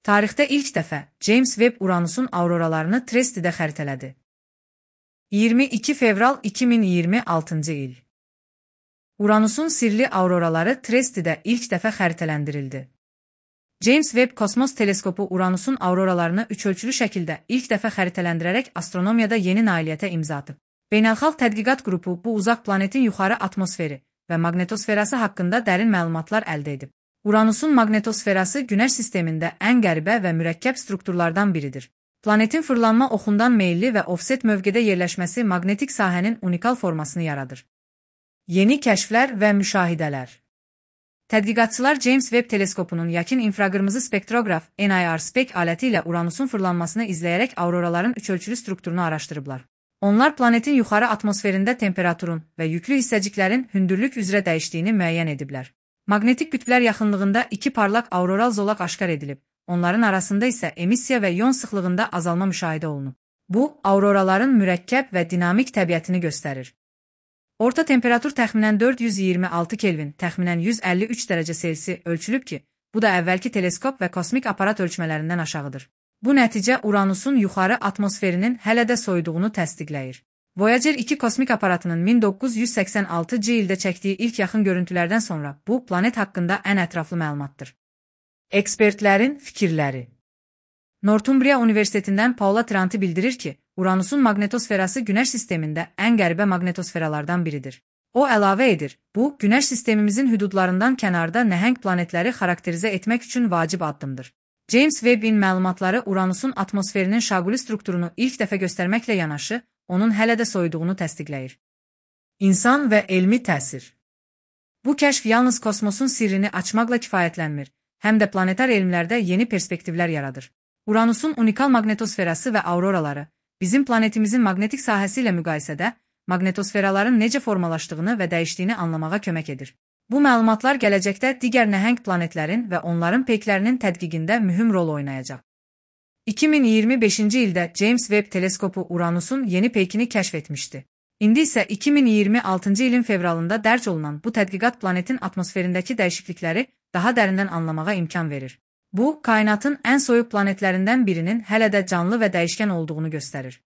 Tarixdə ilk dəfə James Webb Uranusun auroralarını Trestidə xəritələdi. 22 fevral 2026-cı il. Uranusun sirli auroraları Trestidə ilk dəfə xəritələndirildi. James Webb Kosmos Teleskopu Uranusun auroralarını üçölçülü şəkildə ilk dəfə xəritələndirərək astronomiyada yeni nailiyyətə imza atıb. Beynəlxalq tədqiqat qrupu bu uzaq planetin yuxarı atmosferi və maqnetosferası haqqında dərin məlumatlar əldə edib. Uranusun maqnetosferası Günəş sistemində ən qəribə və mürəkkəb strukturlardan biridir. Planetin fırlanma oxundan meyilli və ofset mövqedə yerləşməsi maqnetik sahənin unikal formasını yaradır. Yeni kəşflər və müşahidələr. Tədqiqatçılar James Webb teleskopunun yakın infraqırmızı spektroqraf NIR-SPEC aləti ilə Uranusun fırlanmasını izləyərək auroraların üçölçülü strukturunu araşdırıblar. Onlar planetin yuxarı atmosferində temperaturun və yüklü hissəciklərin hündürlük üzrə dəyişdiyini müəyyən ediblər. Maqnetik qütblər yaxınlığında iki parlaq auroral zolaq aşkar edilib, onların arasında isə emissiya və ion sıxlığında azalma müşahidə olunub. Bu, auroraların mürəkkəb və dinamik təbiətini göstərir. Orta temperatur təxminən 426 Kelvin, təxminən 153 dərəcə Selsi ölçülüb ki, bu da əvvəlki teleskop və kosmik aparat ölçmələrindən aşağıdır. Bu nəticə Uranusun yuxarı atmosferinin hələ də soyuduğunu təsdiqləyir. Voyager 2 kosmik aparatının 1986-cı ildə çəkdiyi ilk yaxın görüntülərdən sonra bu, planet haqqında ən ətraflı məlumatdır. Ekspertlərin fikirləri. Northumbria Universitetindən Paula Tranti bildirir ki, Uranusun maqnetosferası Günəş sistemində ən qəribə maqnetosferalardan biridir. O əlavə edir, bu, Günəş sistemimizin hüdudlarından kənarda nəhəng planetləri xarakterizə etmək üçün vacib addımdır. James Webb'in məlumatları Uranusun atmosferinin şaquli strukturunu ilk dəfə göstərməklə yanaşı, onun hələ də soyuduğunu təsdiqləyir. İnsan və elmi təsir. Bu kəşf yalnız kosmosun sirrini açmaqla kifayətlənmir, həm də planetar elmlərdə yeni perspektivlər yaradır. Uranusun unikal maqnetosferası və auroraları, bizim planetimizin maqnetik sahəsi ilə müqayisədə, maqnetosferaların necə formalaşdığını və dəyişdiyini anlamağa kömək edir. Bu məlumatlar gələcəkdə digər nəhəng planetlərin və onların peyklərinin tədqiqində mühüm rol oynayacaq. 2025-ci ildə James Webb teleskopu Uranusun yeni peykini kəşf etmişdi. İndi isə 2026-cı ilin fevralında dərc olunan bu tədqiqat planetin atmosferindəki dəyişiklikləri daha dərindən anlamağa imkan verir. Bu, kainatın ən soyuq planetlərindən birinin hələ də canlı və dəyişkən olduğunu göstərir.